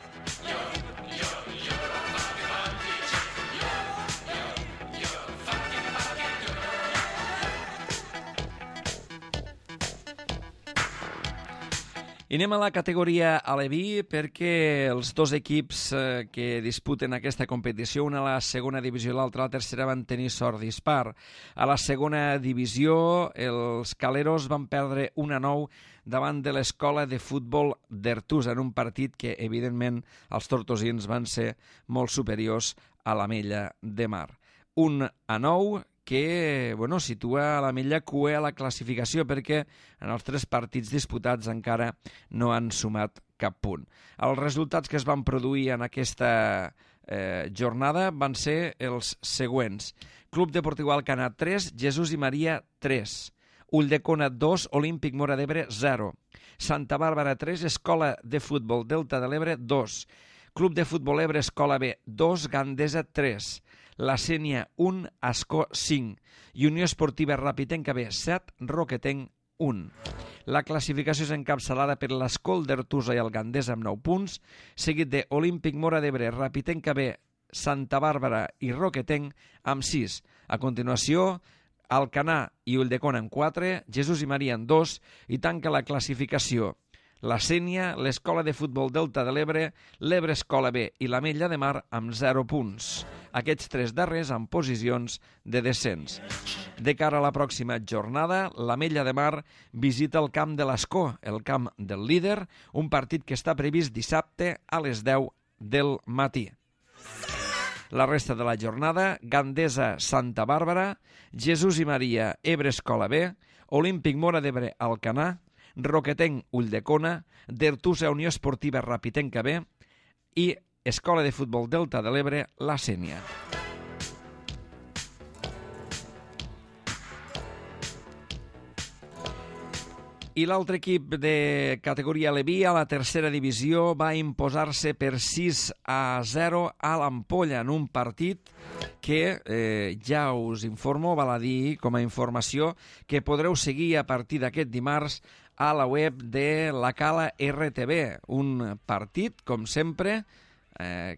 Speaker 1: I anem a la categoria aleví perquè els 2 equips que disputen aquesta competició, una a la segona divisió i l'altra a la tercera, van tenir sort dispar. A la segona divisió, els caleros van perdre 1-9 davant de l'Escola de Futbol d'Ertusa, en un partit que, evidentment, els tortosins van ser molt superiors a l'Ametlla de Mar. 1-9, que situa l'Ametlla cua a la classificació perquè en els 3 partits disputats encara no han sumat cap punt. Els resultats que es van produir en aquesta jornada van ser els següents: Club Deportiu Alcanar 3, Jesús i Maria 3, Ulldecona 2, Olímpic Móra d'Ebre 0, Santa Bàrbara 3, Escola de Futbol Delta de l'Ebre 2, Club de Futbol Ebre Escola B 2, Gandesa 3, la Sénia 1, Ascó 5 i Unió Esportiva Rapitenca B 7, Roquetenc 1. La classificació és encapçalada per l'Escol d'Ertusa i el Gandesa amb 9 punts, seguit de Olímpic Móra d'Ebre, Rapitenca B, Santa Bàrbara i Roquetenc amb 6. A continuació, Alcanar i Ulldecona amb 4, Jesús i Maria amb 2 i tanca la classificació la Sénia, l'Escola de Futbol Delta de l'Ebre, l'Ebre Escola B i l'Ametlla de Mar amb 0 punts. Aquests 3 darrers en posicions de descens. De cara a la pròxima jornada, l'Ametlla de Mar visita el camp de l'Escó, el camp del líder, un partit que està previst dissabte a les 10 del matí. La resta de la jornada, Gandesa Santa Bàrbara, Jesús i Maria Ebre Escola B, Olímpic Móra d'Ebre Alcanar, Roquetenc Ulldecona, Dertusa Unió Esportiva Rapitenca B i Escola de Futbol Delta de l'Ebre La Sénia. I l'altre equip de categoria Leví a la tercera divisió va imposar-se per 6-0 a l'Ampolla en un partit que ja us informo, val a dir com a informació, que podreu seguir a partir d'aquest dimarts a la web de la Cala RTV. Un partit, com sempre,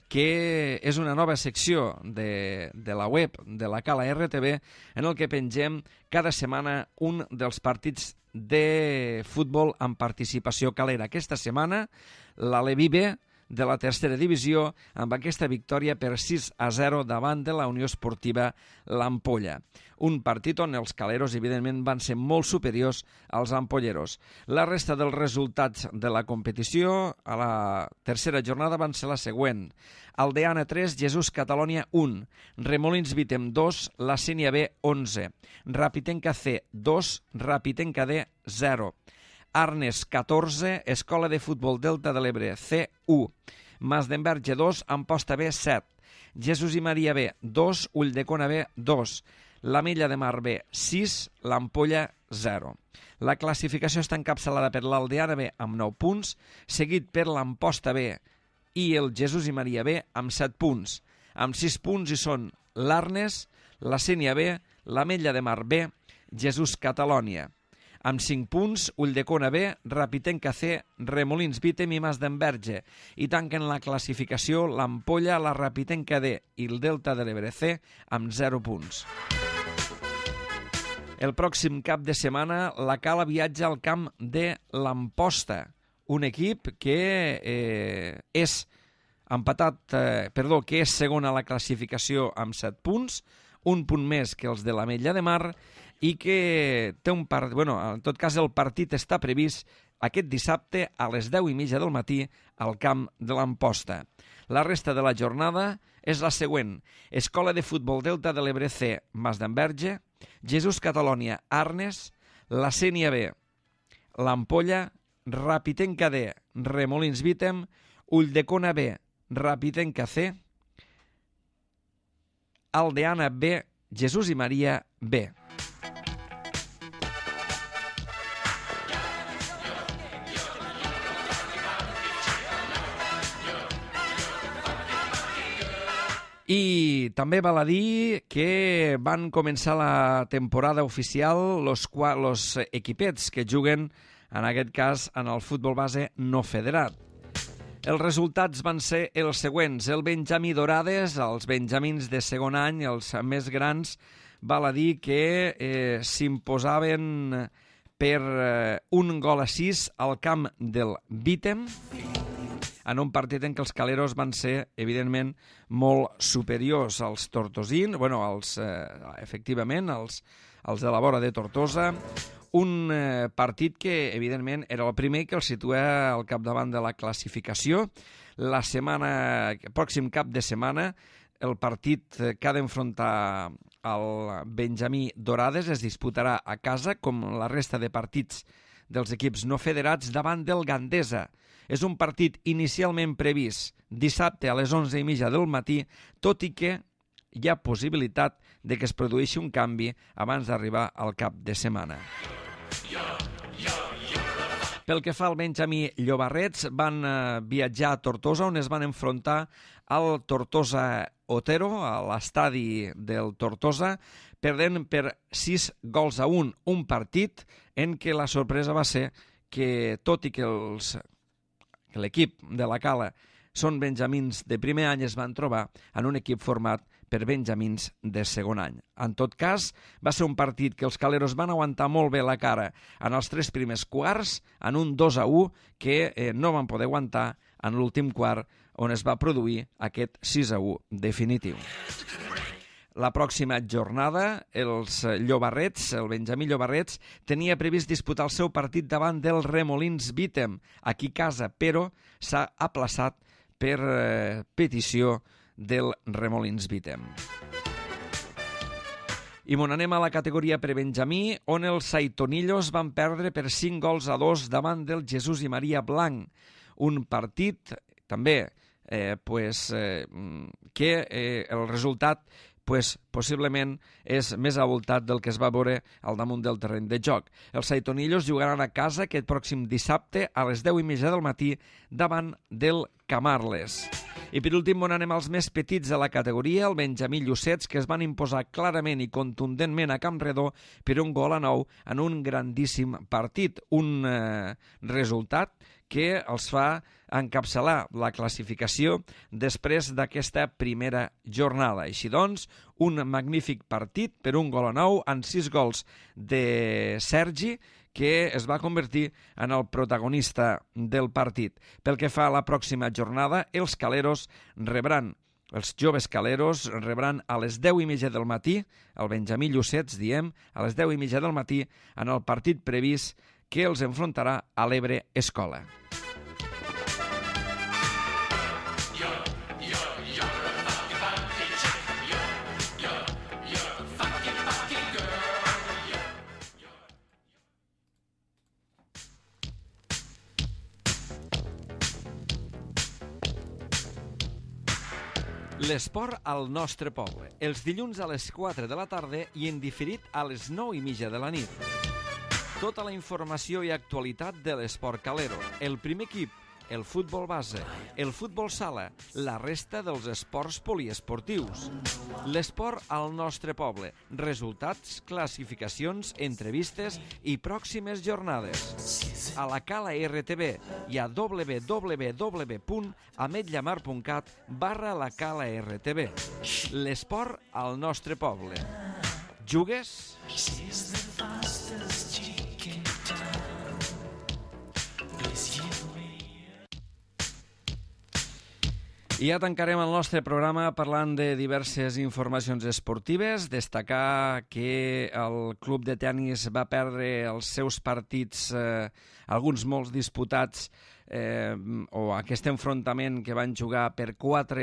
Speaker 1: que és una nova secció de la web de la Cala RTV en el que pengem cada setmana un dels partits de futbol amb participació calera. Aquesta setmana, la Leví B de la tercera divisió amb aquesta victòria per 6-0 davant de la Unió Esportiva l'Ampolla. Un partit on els caleros, evidentment, van ser molt superiors als ampolleros. La resta dels resultats de la competició a la tercera jornada van ser la següent. Aldeana 3, Jesús Catalònia 1, Remolins Vitem 2, La Sénia B 11, Rapitenca C 2, Rapitenca D 0, Arnes 14, Escola de Futbol Delta de l'Ebre C1, Masdenverge 2, Amposta B 7, Jesús i Maria B 2, Ulldecona B 2, l'Ametlla de Mar B 6, l'Ampolla 0. La classificació està encapçalada per l'Aldeana B amb 9 punts, seguit per l'Amposta B i el Jesús i Maria B amb 7 punts. Amb 6 punts hi són l'Arnes, la Sénia B, l'Ametlla de Mar B, Jesús Catalònia. Amb 5 punts, Ulldecona B, Rapitenca C, Remolins Vitem i Masdenverge. I tanquen la classificació l'Ampolla, la Rapitenca D i el Delta de l'Ebre C amb 0 punts. El pròxim cap de setmana la Cala viatja al camp de l'Amposta, un equip que és que és segon a la classificació amb 7 punts, un punt més que els de l'Ametlla de Mar, i que té un partit, en tot cas el partit està previst aquest dissabte a les 10:30 del matí al camp de l'Amposta. La resta de la jornada és la següent. Escola de Futbol Delta de l'Ebre C, Masdenverge, Jesús Catalònia, Arnes, la Sénia B, l'Ampolla, Rapitenca D, Remolins Vitem, Ulldecona B, Rapitenca C, Aldeana B, Jesús i Maria B. I també val a dir que van començar la temporada oficial los equipets que juguen, en aquest cas, en el futbol base no federat. Els resultats van ser els següents. El Benjamí Dorades, els benjamins de segon any, els més grans, val a dir que s'imposaven per 1-6 al camp del Vitem, en un partit en què els caleros van ser, evidentment, molt superiors als tortosins, efectivament, als de la vora de Tortosa. Un partit que, evidentment, era el primer que el situa al capdavant de la classificació. Pròxim cap de setmana, el partit que ha d'enfrontar el Benjamí Dorades es disputarà a casa, com la resta de partits dels equips no federats, davant del Gandesa. És un partit inicialment previst dissabte a les 11:30 del matí, tot i que hi ha possibilitat de que es produeixi un canvi abans d'arribar al cap de setmana. Pel que fa al Benjamí Llobarrets, van viatjar a Tortosa, on es van enfrontar al Tortosa Otero, a l'estadi del Tortosa, perdent per 6-1, un partit en què la sorpresa va ser que, tot i que l'equip de la Cala són benjamins de primer any, es van trobar en un equip format per benjamins de segon any. En tot cas, va ser un partit que els caleros van aguantar molt bé la cara en els 3 primers quarts, en un 2-1 que no van poder aguantar en l'últim quart, on es va produir aquest 6-1 definitiu. La pròxima jornada, els Llobarrets, el Benjamí Llobarrets, tenia previst disputar el seu partit davant del Remolins Vítem, aquí a casa, però s'ha aplaçat per petició del Remolins Vítem. I anem a la categoria prebenjamí, on els Saitonillos van perdre per 5-2 davant del Jesús i Maria Blanc. Un partit, també, que el resultat possiblement és més avoltat del que es va veure al damunt del terreny de joc. Els Saitonillos jugaran a casa aquest pròxim dissabte a les 10:30 del matí davant del Camarles. I per últim anem als més petits de la categoria, el Benjamí Llucets, que es van imposar clarament i contundentment a Campredó per 1-9 en un grandíssim partit. Un resultat que els fa encapçalar la classificació després d'aquesta primera jornada. Així doncs, un magnífic partit per 1-9 en 6 gols de Sergi, que es va convertir en el protagonista del partit. Pel que fa a la pròxima jornada, els joves caleros rebran a les 10:30 del matí, el Benjamí Llucets, a les 10:30 del matí, en el partit previst que els enfrontarà a l'Ebre Escola. L'esport al nostre poble, els dilluns a les 4 de la tarda i en diferit a les 9:30 de la nit. Tota la informació i actualitat de l'esport calero, el primer equip, el futbol base, el futbol sala, la resta dels esports poliesportius. L'esport al nostre poble, resultats, classificacions, entrevistes i pròximes jornades. A la Cala RTV i a www.ametlllamar.cat/la Cala RTV. L'esport al nostre poble. Jugues? I ja tancarem el nostre programa parlant de diverses informacions esportives. Destacar que el club de tenis va perdre els seus partits, alguns molts disputats, o aquest enfrontament que van jugar per 4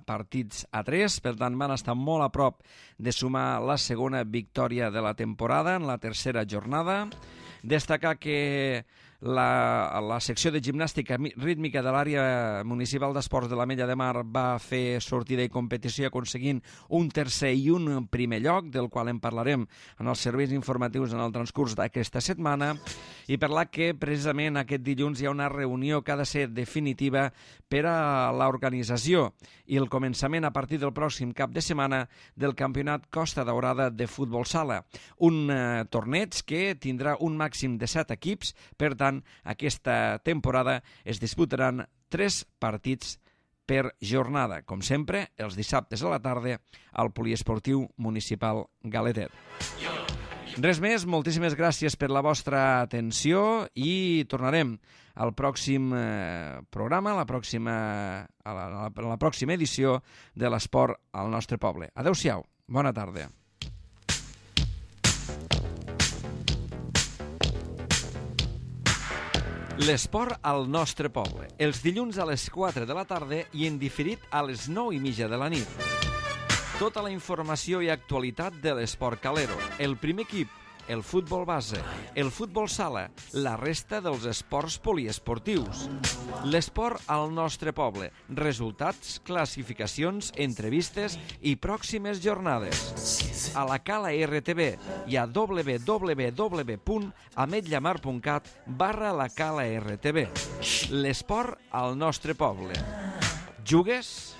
Speaker 1: partits a 3, per tant van estar molt a prop de sumar la segona victòria de la temporada en la tercera jornada. Destacar que la secció de gimnàstica rítmica de l'àrea municipal d'esports de l'Ametlla de Mar va fer sortida i competició aconseguint un tercer i un primer lloc, del qual en parlarem en els serveis informatius en el transcurs d'aquesta setmana, i parlar que precisament aquest dilluns hi ha una reunió que ha de ser definitiva per a l'organització i el començament a partir del pròxim cap de setmana del Campionat Costa Daurada de Futbol Sala, un torneig que tindrà un màxim de 7 equips. Per tant, aquesta temporada es disputaran 3 partits per jornada, com sempre, els dissabtes a la tarda al Poliesportiu Municipal Galetet. Res més, moltíssimes gràcies per la vostra atenció i tornarem al pròxim programa, la pròxima edició de l'esport al nostre poble. Adéu-siau, bona tarda. L'esport al nostre poble, els dilluns a les 4 de la tarda i en diferit a les 9:30 de la nit. Tota la informació i actualitat de l'esport calero, el primer equip, el futbol base, el futbol sala, la resta dels esports poliesportius. L'esport al nostre poble, resultats, classificacions, entrevistes i pròximes jornades. A la Cala RTV i a www.ametlllamar.cat/la Cala RTV. L'esport al nostre poble. Jugues?